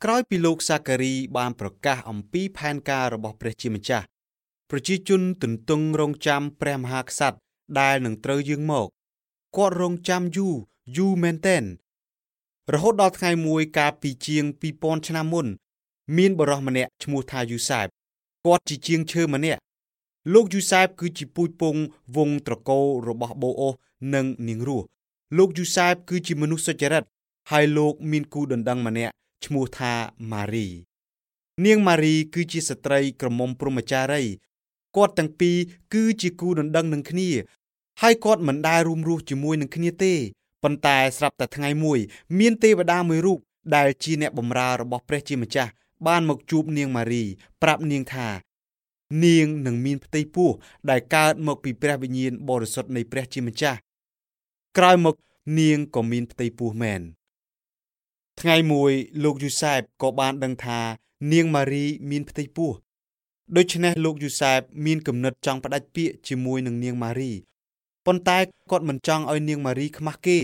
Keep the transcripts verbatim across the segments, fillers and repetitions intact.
ក្រោយពីលោកសាការីបានប្រកាសអំពីផែនការរបស់ព្រះជាម្ចាស់ប្រជាជនទន្ទឹងរង់ចាំព្រះមហាក្សត្រដែលនឹងត្រូវយាងមកគាត់រង់ចាំយូរយូរមែនទែនរហូតដល់ថ្ងៃមួយកាលពីជាងពីរពាន់ឆ្នាំមុនមានបុរសម្នាក់ឈ្មោះថាយូសែបគាត់ជាជាងឈើម្នាក់លោកយូសែបគឺជាពូជពងវង្សត្រកូលរបស់បូអូសនិងនាងរស់លោកយូសែបគឺជាមនុស្សសុចរិតហើយលោកមានគូដណ្ដឹងម្នាក់ឈ្មោះថាម៉ារីនាងម៉ារីគឺជាស្ត្រីក្រមុំព្រហ្មចារីគាត់ទាំងពីរគឺជាគូដណ្ដឹងនឹងគ្នាហើយគាត់មិនដែលរួមរស់ជាមួយនឹងគ្នាទេប៉ុន្តែស្រាប់តែថ្ងៃមួយមានទេវតាមួយរូបដែលជាអ្នកបម្រើរបស់ព្រះជាម្ចាស់បានមកជួបនាងម៉ារីប្រាប់នាងថានាងនឹងមានផ្ទៃពោះដែលកើតមកពីព្រះវិញ្ញាណបរិសុទ្ធនៃព្រះជាម្ចាស់ក្រោយមកនាងក៏មានផ្ទៃពោះមែនថ្ងៃមួយលោកយូសែបក៏បានដឹងថានាងម៉ារីមានផ្ទៃពោះដូច្នេះលោកយូសែបមានគំនិតចង់ផ្ដាច់ពាក្យជាមួយនឹងនាងម៉ារីប៉ុន្តែគាត់មិនចង់ឲ្យនាងម៉ារីខ្មាស់គេ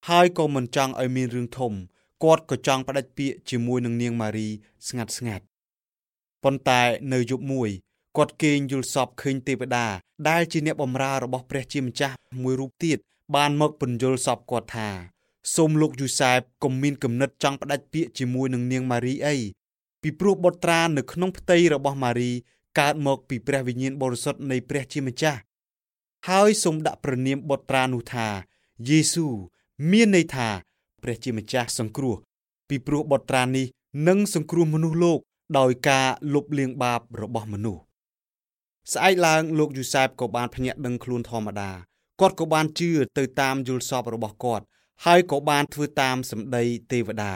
ហើយក៏មិនចង់ឲ្យមានរឿងធំគាត់ក៏ចង់ផ្ដាច់ពាក្យជាមួយនឹងនាងម៉ារីស្ងាត់ស្ងាត់ប៉ុន្តែនៅយប់មួយគាត់គេងយល់សប្តិឃើញទេវតាដែលជាអ្នកបម្រើរបស់ព្រះជាម្ចាស់មួយរូបទៀតបានមកពន្យល់សប្តិគាត់ថាសូមលោកយូសែបកុំមានគំនិតចង់ផ្ដាច់ពាក្យជាមួយនឹងនាងម៉ារីអីពីព្រោះបុត្រានៅក្នុងផ្ទៃរបស់ម៉ារីកើតមកពីព្រះវិញ្ញាណបរិសុទ្ធនៃព្រះជាម្ចាស់ហើយសូមដាក់ព្រះនាមបុត្រានោះថាយេស៊ូមានន័យថាព្រះជាម្ចាស់សង្គ្រោះពីព្រោះបុត្រានេះនឹងសង្គ្រោះមនុស្សលោកដោយការលុបលាងបាបរបស់មនុស្សស្អែកឡើងលោកយូសែបក៏បានភ្ញាក់ដឹងខ្លួនធម្មតាគាត់ក៏បានជឿទៅតាមយល់សប្តិរបស់គាត់ហើយក៏បានធ្វើតាមសម្ដីទេវតា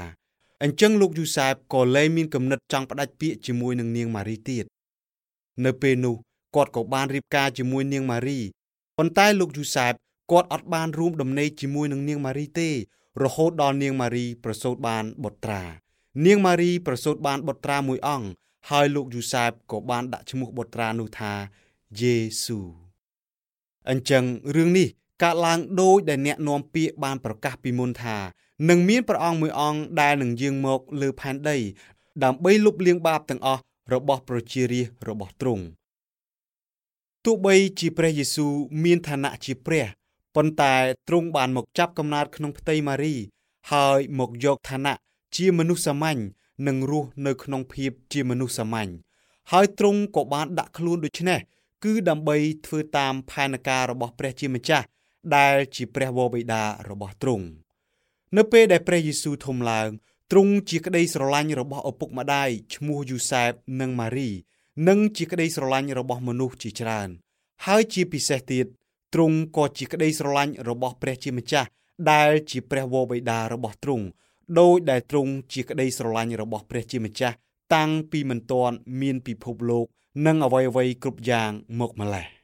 អញ្ចឹងលោកយូសែបក៏លែងមានគំនិតចង់ផ្ដាច់ពាក្យជាមួយនឹងនាងម៉ារីទៀតនៅពេលនោះគាត់ក៏បានរៀបការជាមួយនាងម៉ារីប៉ុន្តែលោកយូសែបគាត់អត់បានរួមដំណេកជាមួយនឹងនាងម៉ារីទេរហូតដល់នាងម៉ារីប្រសូតបានបុត្រានាងម៉ារីប្រសូតបានបុត្រាមួយអង្គហើយលោកយូសែបក៏បានដាក់ឈ្មោះបុត្រានោះថាយេស៊ូអញ្ចឹងរឿងនេះកើតឡើងដោយដែលអ្នកនាំពាក្យបានប្រកាសពីមុនថានឹងមានព្រះអង្គមួយអង្គដែលនឹងយាងមកលើផែនដីដើម្បីលុបលាងបាបទាំងអស់របស់ប្រជារាស្ត្ររបស់ទ្រង់ទោះបីជាព្រះយេស៊ូវមានឋានៈជាព្រះប៉ុន្តែទ្រង់បានមកចាប់កំណើតក្នុងផ្ទៃម៉ារីហើយមកយកឋានៈជាមនុស្សសាមញ្ញនិងរស់នៅក្នុងភាពជាមនុស្សសាមញ្ញហើយទ្រង់ក៏បានដាក់ខ្លួនដូច្នេះគឺដើម្បីធ្វើតាមផែនការរបស់ព្រះជាម្ចាស់ដែលជាព្រះវរបិតារបស់ទ្រង់នៅពេលដែលព្រះយេស៊ូវធំឡើងទ្រង់ជាក្តីស្រឡាញ់របស់ឪពុកម្ដាយឈ្មោះយូសែបនិងម៉ារីនិងជាក្តីស្រឡាញ់របស់មនុស្សជាច្រើនហើយជាពិសេសទៀតទ្រង់ក៏ជាក្តីស្រឡាញ់របស់ព្រះជាម្ចាស់ដែលជាព្រះវរបិតារបស់ទ្រង់ដោយដែលទ្រង់ជាក្តីស្រឡាញ់របស់ព្រះជាម្ចាស់តាំងពីមិនទាន់មានពិភពលោកនិងអ្វីៗគ្រប់យ៉ាងមកម្ល៉េះ។